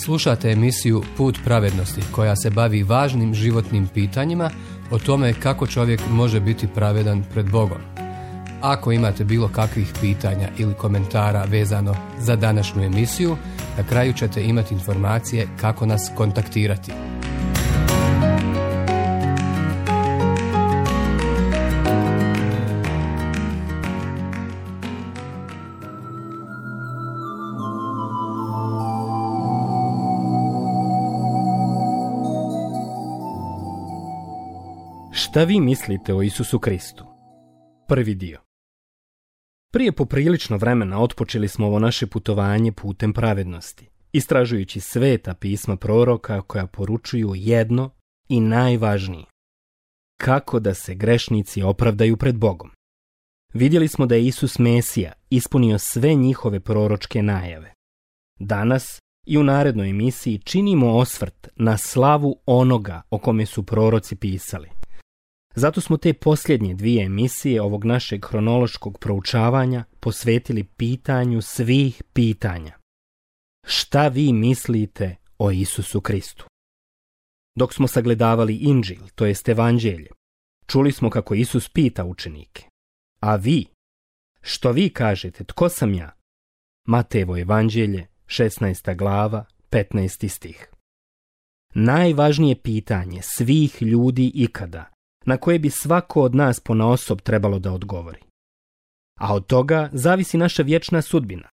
Slušate emisiju Put pravednosti koja se bavi važnim životnim pitanjima o tome kako čovjek može biti pravedan pred Bogom. Ako imate bilo kakvih pitanja ili komentara vezano za današnju emisiju, na kraju ćete imati informacije kako nas kontaktirati. Šta vi mislite o Isusu Kristu? Prvi dio. Prije poprilično vremena otpočeli smo ovo naše putovanje putem pravednosti, istražujući sveta pisma proroka koja poručuju jedno i najvažnije. Kako da se grešnici opravdaju pred Bogom. Vidjeli smo da je Isus Mesija ispunio sve njihove proročke najave. Danas i u narednoj emisiji činimo osvrt na slavu onoga o kome su proroci pisali. Zato smo te posljednje dvije emisije ovog našeg hronološkog proučavanja posvetili pitanju svih pitanja. Šta vi mislite o Isusu Kristu? Dok smo sagledavali Inđil, to jest Evanđelje, čuli smo kako Isus pita učenike. A vi? Što vi kažete, tko sam ja? Matejevo Evanđelje, 16. glava, 15. stih. Najvažnije pitanje svih ljudi ikada, na koje bi svako od nas ponaosob trebalo da odgovori. A od toga zavisi naša vječna sudbina.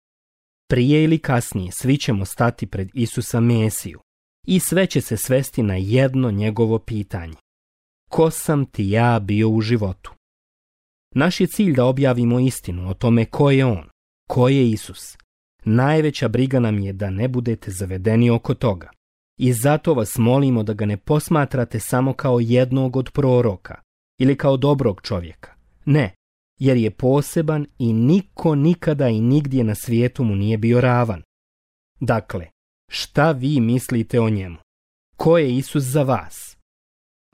Prije ili kasnije svi ćemo stati pred Isusa Mesiju i sve će se svesti na jedno njegovo pitanje. Ko sam ti ja bio u životu? Naš je cilj da objavimo istinu o tome ko je on, ko je Isus. Najveća briga nam je da ne budete zavedeni oko toga. I zato vas molimo da ga ne posmatrate samo kao jednog od proroka ili kao dobrog čovjeka. Ne, jer je poseban i niko nikada i nigdje na svijetu mu nije bio ravan. Dakle, šta vi mislite o njemu? Ko je Isus za vas?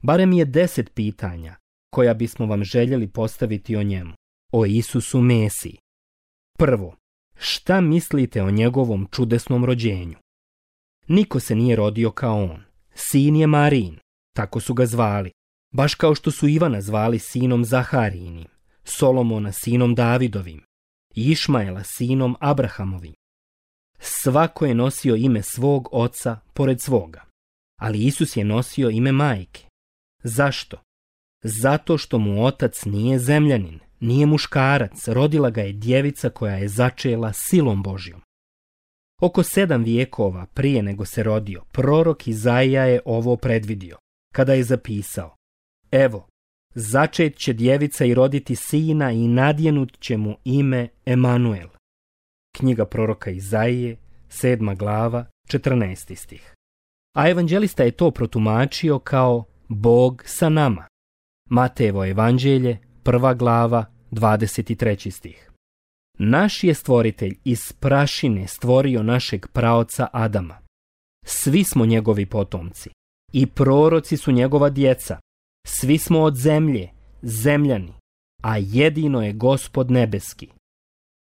Barem je 10 pitanja koja bismo vam željeli postaviti o njemu, o Isusu Mesiji. Prvo, šta mislite o njegovom čudesnom rođenju? Niko se nije rodio kao on. Sin je Marijin, tako su ga zvali, baš kao što su Ivana zvali sinom Zaharijinim, Solomona sinom Davidovim, Išmaela sinom Abrahamovim. Svako je nosio ime svog oca pored svoga, ali Isus je nosio ime majke. Zašto? Zato što mu otac nije zemljanin, nije muškarac, rodila ga je djevica koja je začela silom Božjom. Oko 7 vijekova prije nego se rodio, prorok Izaija je ovo predvidio, kada je zapisao: Evo, začet će djevica i roditi sina i nadjenut će mu ime Emanuel. Knjiga proroka Izaije, 7. glava, 14. stih. A evanđelista je to protumačio kao Bog sa nama. Matejevo Evanđelje, 1. glava, 23. stih. Naš je stvoritelj iz prašine stvorio našeg praoca Adama. Svi smo njegovi potomci i proroci su njegova djeca. Svi smo od zemlje, zemljani, a jedino je Gospod nebeski.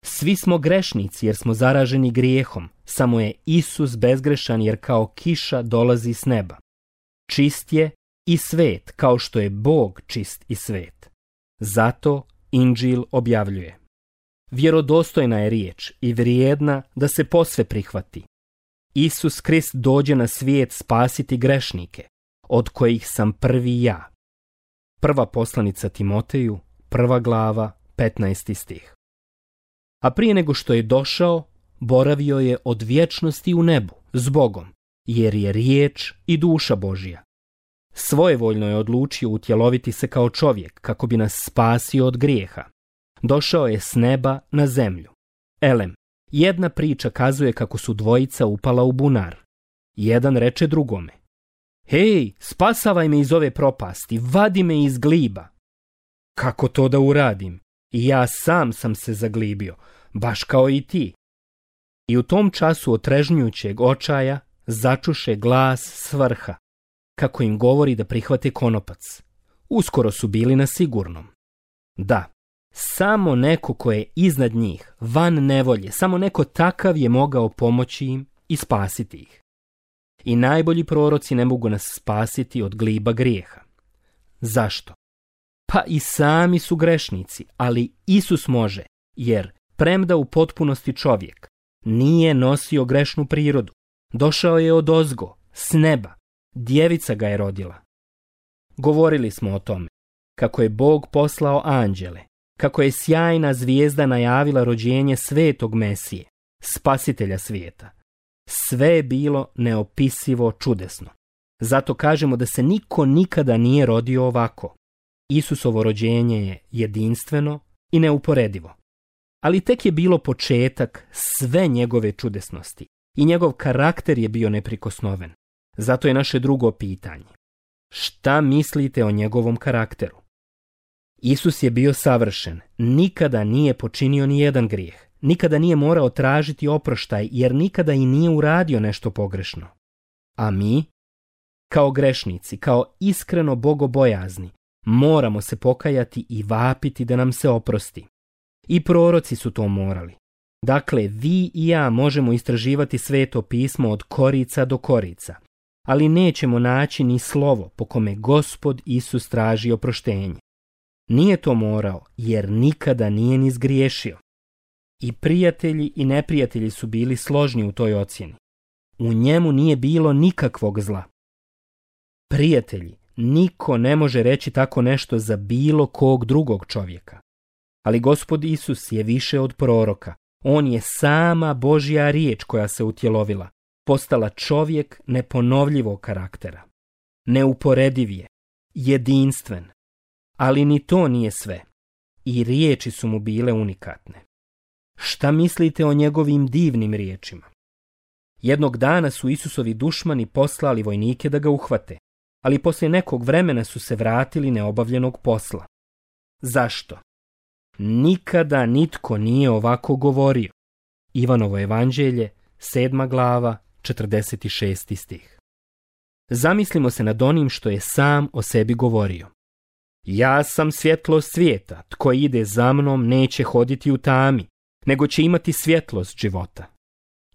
Svi smo grešnici jer smo zaraženi grijehom, samo je Isus bezgrešan jer kao kiša dolazi s neba. Čist je i svet kao što je Bog čist i svet. Zato Inđil objavljuje: Vjerodostojna je riječ i vrijedna da se posve prihvati. Isus Krist dođe na svijet spasiti grešnike, od kojih sam prvi ja. Prva poslanica Timoteju, 1. glava, 15. stih. A prije nego što je došao, boravio je od vječnosti u nebu, s Bogom, jer je riječ i duša Božja. Svojevoljno je odlučio utjeloviti se kao čovjek, kako bi nas spasio od grijeha. Došao je s neba na zemlju. Elem, jedna priča kazuje kako su dvojica upala u bunar. Jedan reče drugome: Hej, spasavaj me iz ove propasti, vadi me iz gliba. Kako to da uradim? Ja sam se zaglibio, baš kao i ti. I u tom času otrežnjujućeg očaja začuše glas s vrha, kako im govori da prihvate konopac. Uskoro su bili na sigurnom. Da, samo neko ko je iznad njih, van nevolje, samo neko takav je mogao pomoći im i spasiti ih. I najbolji proroci ne mogu nas spasiti od gliba grijeha. Zašto? Pa i sami su grešnici, ali Isus može, jer premda u potpunosti čovjek, nije nosio grešnu prirodu. Došao je odozgo, s neba, djevica ga je rodila. Govorili smo o tome, kako je Bog poslao anđele, kako je sjajna zvijezda najavila rođenje svetog Mesije, spasitelja svijeta. Sve je bilo neopisivo čudesno. Zato kažemo da se niko nikada nije rodio ovako. Isusovo rođenje je jedinstveno i neuporedivo. Ali tek je bilo početak sve njegove čudesnosti i njegov karakter je bio neprikosnoven. Zato je naše drugo pitanje. Šta mislite o njegovom karakteru? Isus je bio savršen, nikada nije počinio ni jedan grijeh, nikada nije morao tražiti oproštaj jer nikada i nije uradio nešto pogrešno. A mi, kao grešnici, kao iskreno bogobojazni, moramo se pokajati i vapiti da nam se oprosti. I proroci su to morali. Dakle, vi i ja možemo istraživati Sveto pismo od korica do korica, ali nećemo naći ni slovo po kome Gospod Isus traži oproštenje. Nije to morao, jer nikada nije ni zgriješio. I prijatelji i neprijatelji su bili složni u toj ocjeni. U njemu nije bilo nikakvog zla. Prijatelji, niko ne može reći tako nešto za bilo kog drugog čovjeka. Ali Gospod Isus je više od proroka. On je sama Božja riječ koja se utjelovila, postala čovjek neponovljivog karaktera. Neuporediv je, jedinstven. Ali ni to nije sve. I riječi su mu bile unikatne. Šta mislite o njegovim divnim riječima? Jednog dana su Isusovi dušmani poslali vojnike da ga uhvate, ali poslije nekog vremena su se vratili neobavljenog posla. Zašto? Nikada nitko nije ovako govorio. Ivanovo evanđelje, 7. glava, 46. stih. Zamislimo se nad onim što je sam o sebi govorio. Ja sam svjetlost svijeta, tko ide za mnom neće hoditi u tami, nego će imati svjetlost života.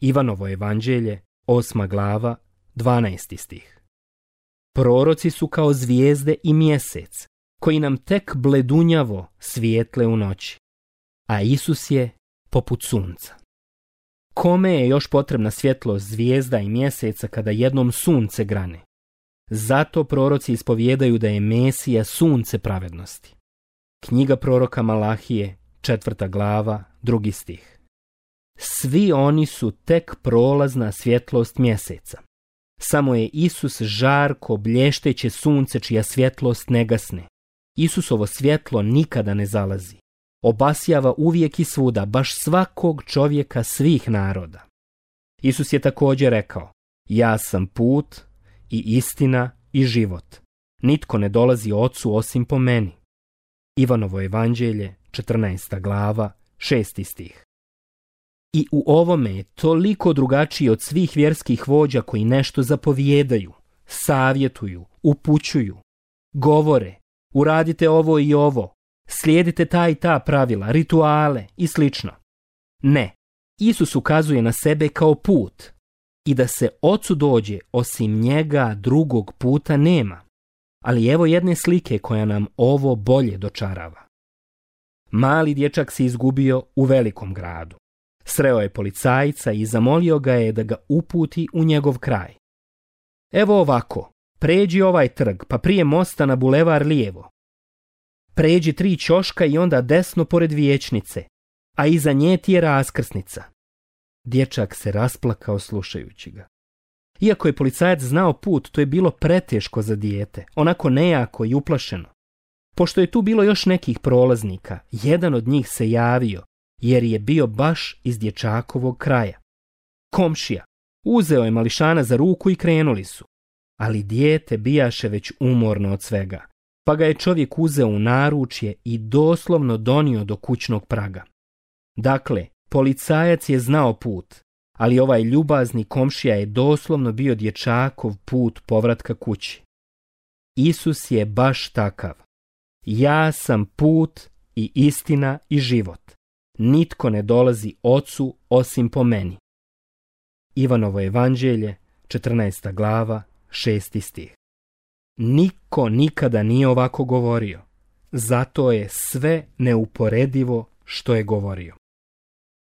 Ivanovo evanđelje, 8. glava, 12. stih. Proroci su kao zvijezde i mjesec, koji nam tek bledunjavo svijetle u noći, a Isus je poput sunca. Kome je još potrebna svjetlost zvijezda i mjeseca kada jednom sunce grane? Zato proroci ispovijedaju da je Mesija sunce pravednosti. Knjiga proroka Malahije, 4. glava, 2. stih. Svi oni su tek prolazna svjetlost mjeseca. Samo je Isus žarko, blješteće sunce čija svjetlost ne gasne. Isusovo svjetlo nikada ne zalazi. Obasjava uvijek i svuda, baš svakog čovjeka svih naroda. Isus je također rekao, ja sam put i istina i život. Nitko ne dolazi Ocu osim po meni. Ivanovo evanđelje, 14. glava, 6. stih. I u ovome je toliko drugačiji od svih vjerskih vođa koji nešto zapovijedaju, savjetuju, upućuju, govore, uradite ovo i ovo, slijedite ta i ta pravila, rituale i slično. Ne, Isus ukazuje na sebe kao put i da se Ocu dođe osim njega drugog puta nema. Ali evo jedne slike koja nam ovo bolje dočarava. Mali dječak se izgubio u velikom gradu. Sreo je policajca i zamolio ga je da ga uputi u njegov kraj. Evo ovako, pređi ovaj trg, pa prije mosta na bulevar lijevo. Pređi 3 ćoška i onda desno pored vijećnice, a iza nje ti je raskrsnica. Dječak se rasplakao slušajući ga. Iako je policajac znao put, to je bilo preteško za dijete, onako nejako i uplašeno. Pošto je tu bilo još nekih prolaznika, jedan od njih se javio, jer je bio baš iz dječakovog kraja. Komšija, uzeo je mališana za ruku i krenuli su. Ali dijete bijaše već umorno od svega, pa ga je čovjek uzeo u naručje i doslovno donio do kućnog praga. Dakle, policajac je znao put, ali ovaj ljubazni komšija je doslovno bio dječakov put povratka kući. Isus je baš takav. Ja sam put i istina i život. Nitko ne dolazi Ocu osim po meni. Ivanovo evanđelje, 14. glava, 6. stih. Niko nikada nije ovako govorio, zato je sve neuporedivo što je govorio.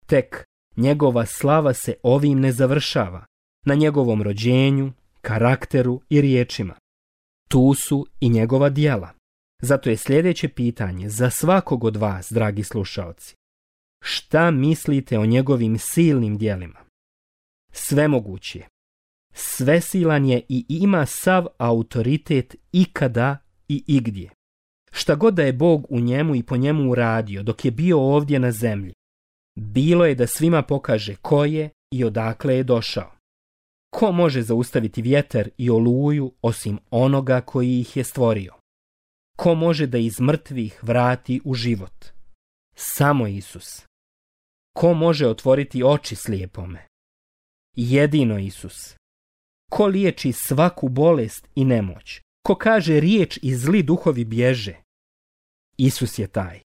Tek njegova slava se ovim ne završava, na njegovom rođenju, karakteru i riječima. Tu su i njegova djela. Zato je sljedeće pitanje za svakog od vas, dragi slušaoci. Šta mislite o njegovim silnim djelima? Svemoguć je, svesilan je i ima sav autoritet ikada i igdje. Šta god da je Bog u njemu i po njemu uradio dok je bio ovdje na zemlji, bilo je da svima pokaže ko je i odakle je došao. Ko može zaustaviti vjetar i oluju osim onoga koji ih je stvorio? Ko može da iz mrtvih vrati u život? Samo Isus. Ko može otvoriti oči slijepome? Jedino Isus. Ko liječi svaku bolest i nemoć? Ko kaže riječ i zli duhovi bježe? Isus je taj.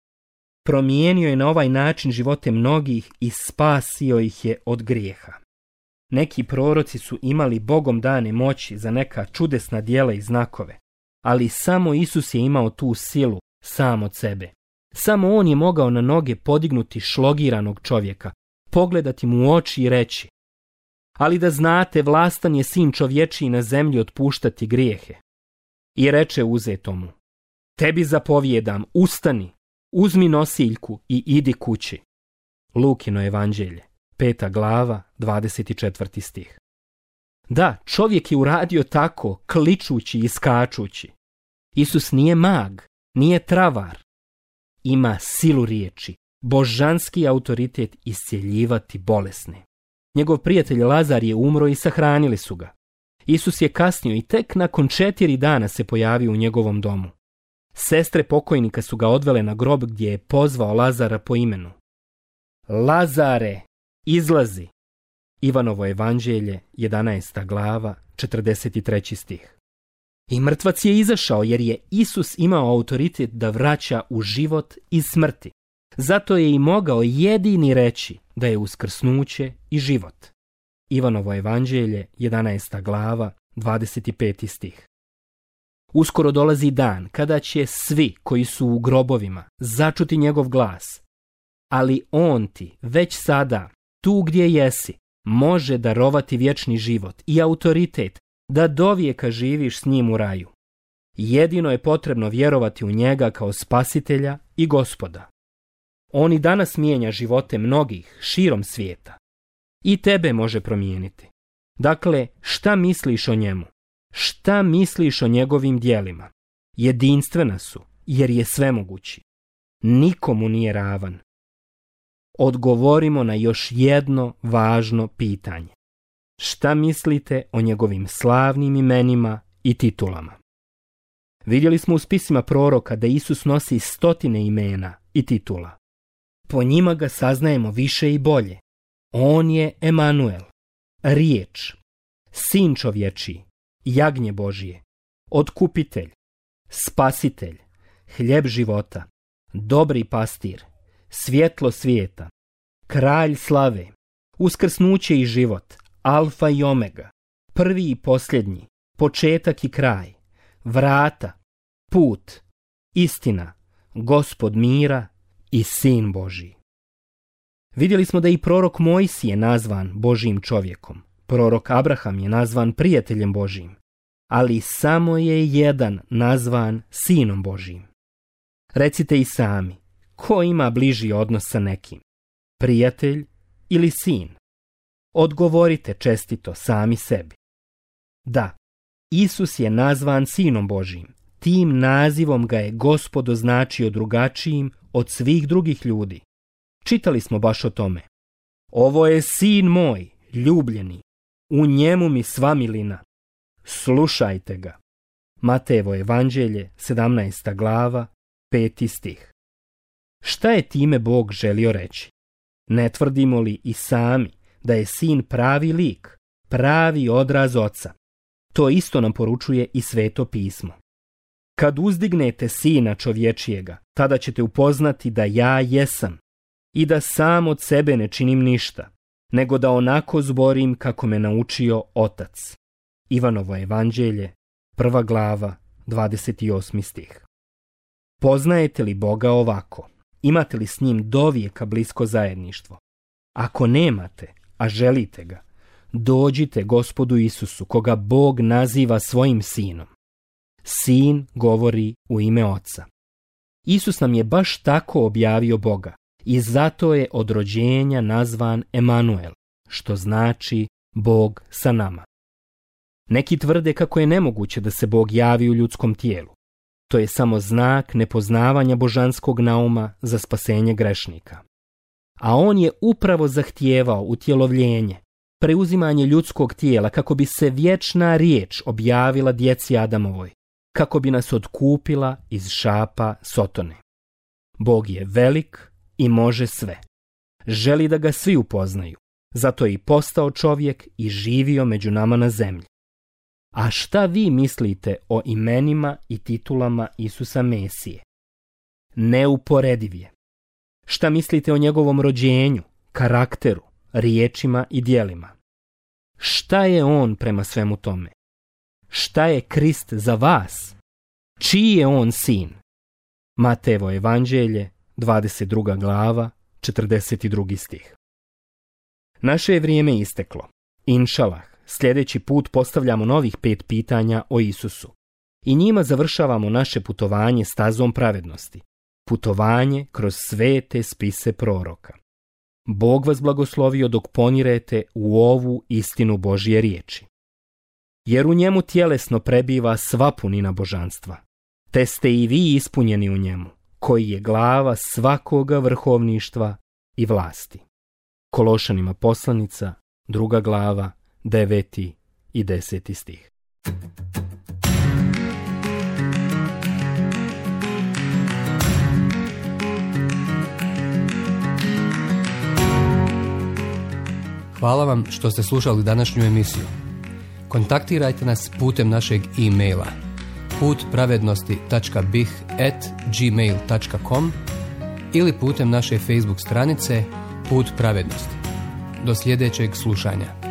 Promijenio je na ovaj način živote mnogih i spasio ih je od grijeha. Neki proroci su imali Bogom dane moći za neka čudesna djela i znakove, ali samo Isus je imao tu silu sam od sebe. Samo on je mogao na noge podignuti šlogiranog čovjeka, pogledati mu u oči i reći: ali da znate, vlastan je sin čovječiji na zemlji otpuštati grijehe. I reče uzetomu: tebi zapovjedam, ustani, uzmi nosiljku i idi kući. Lukino evanđelje, 5. glava, 24. stih. Da, čovjek je uradio tako, kličući i skačući. Isus nije mag, nije travar. Ima silu riječi, božanski autoritet iscjeljivati bolesne. Njegov prijatelj Lazar je umro i sahranili su ga. Isus je kasnio i tek nakon 4 dana se pojavio u njegovom domu. Sestre pokojnika su ga odvele na grob gdje je pozvao Lazara po imenu. Lazare, izlazi! Ivanovo evanđelje, 11. glava, 43. stih. I mrtvac je izašao jer je Isus imao autoritet da vraća u život iz smrti. Zato je i mogao jedini reći da je uskrsnuće i život. Ivanovo evanđelje, 11. glava, 25. stih. Uskoro dolazi dan kada će svi koji su u grobovima začuti njegov glas, ali on ti već sada, tu gdje jesi, može darovati vječni život i autoritet da dovijeka živiš s njim u raju. Jedino je potrebno vjerovati u njega kao spasitelja i Gospoda. On i danas mijenja živote mnogih širom svijeta. I tebe može promijeniti. Dakle, šta misliš o njemu? Šta misliš o njegovim djelima? Jedinstvena su, jer je svemogući. Nikomu nije ravan. Odgovorimo na još jedno važno pitanje. Šta mislite o njegovim slavnim imenima i titulama? Vidjeli smo u spisima proroka da Isus nosi 100 imena i titula. Po njima ga saznajemo više i bolje. On je Emanuel, riječ, sin čovječiji, jagnje Božije, otkupitelj, spasitelj, hljeb života, dobri pastir, svjetlo svijeta, kralj slave, uskrsnuće i život, alfa i omega, prvi i posljednji, početak i kraj, vrata, put, istina, Gospod mira i sin Božji. Vidjeli smo da i prorok Mojsije nazvan Božjim čovjekom, prorok Abraham je nazvan prijateljem Božjim, ali samo je jedan nazvan sinom Božjim. Recite i sami, ko ima bliži odnos sa nekim, prijatelj ili sin? Odgovorite čestito sami sebi. Da, Isus je nazvan sinom Božjim, tim nazivom ga je Gospod označio drugačijim od svih drugih ljudi. Čitali smo baš o tome. Ovo je sin moj, ljubljeni, u njemu mi sva milina. Slušajte ga. Matejevo evanđelje, 17. glava, 5. stih. Šta je time Bog želio reći? Ne tvrdimo li i sami da je sin pravi lik, pravi odraz oca? To isto nam poručuje i Sveto pismo. Kad uzdignete sina čovječijega, tada ćete upoznati da ja jesam i da sam od sebe ne činim ništa, nego da onako zborim kako me naučio otac. Ivanovo evanđelje, 1. glava, 28. stih. Poznajete li Boga ovako? Imate li s njim dovijeka blisko zajedništvo? Ako nemate, a želite ga, dođite Gospodu Isusu, koga Bog naziva svojim sinom. Sin govori u ime Oca. Isus nam je baš tako objavio Boga i zato je od rođenja nazvan Emanuel, što znači Bog sa nama. Neki tvrde kako je nemoguće da se Bog javi u ljudskom tijelu. To je samo znak nepoznavanja božanskog nauma za spasenje grešnika. A on je upravo zahtijevao utjelovljenje, preuzimanje ljudskog tijela kako bi se vječna riječ objavila djeci Adamovoj, kako bi nas otkupila iz šapa Sotone. Bog je velik i može sve. Želi da ga svi upoznaju, zato je i postao čovjek i živio među nama na zemlji. A šta vi mislite o imenima i titulama Isusa Mesije? Neuporediv je. Šta mislite o njegovom rođenju, karakteru, riječima i djelima? Šta je on prema svemu tome? Šta je Krist za vas? Čiji je on sin? Matejevo evanđelje, 22. glava, 42. stih. Naše je vrijeme isteklo. Inšalah, sljedeći put postavljamo novih 5 pitanja o Isusu. I njima završavamo naše putovanje stazom pravednosti. Putovanje kroz svete spise proroka. Bog vas blagoslovio dok ponirete u ovu istinu Božje riječi. Jer u njemu tjelesno prebiva sva punina božanstva, te ste i vi ispunjeni u njemu, koji je glava svakoga vrhovništva i vlasti. Kološanima poslanica, 2. glava, 9. i 10. stih. Hvala vam što ste slušali današnju emisiju. Kontaktirajte nas putem našeg e-maila putpravednosti.bih@gmail.com ili putem naše Facebook stranice Put pravednosti. Do sljedećeg slušanja.